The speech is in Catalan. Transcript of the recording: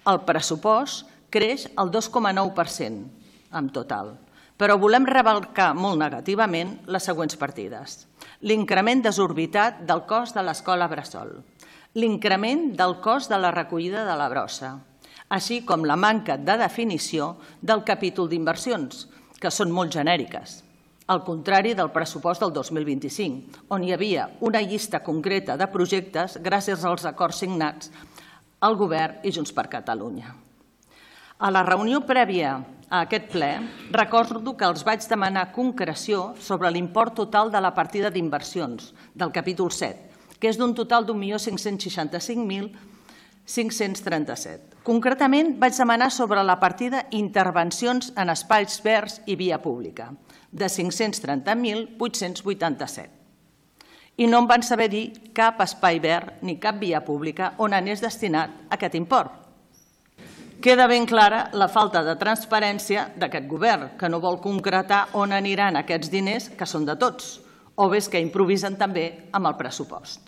El pressupost creix el 2,9% en total, però volem remarcar molt negativament les següents partides. L'increment desorbitat del cost de l'escola bressol, l'increment del cost de la recollida de la brossa, així com la manca de definició del capítol d'inversions, que són molt genèriques, al contrari del pressupost del 2025, on hi havia una llista concreta de projectes gràcies als acords signats al Govern i Junts per Catalunya. A la reunió prèvia a aquest ple, recordo que els vaig demanar concreció sobre l'import total de la partida d'inversions del capítol 7, que és d'un total d'1.565.537. Concretament, vaig demanar sobre la partida intervencions en espais verds i via pública, de 530.887. I no em van saber dir cap espai verd ni cap via pública on anés destinat aquest import. Queda ben clara la falta de transparència d'aquest govern, que no vol concretar on aniran aquests diners que són de tots, o bé que improvisen també amb el pressupost.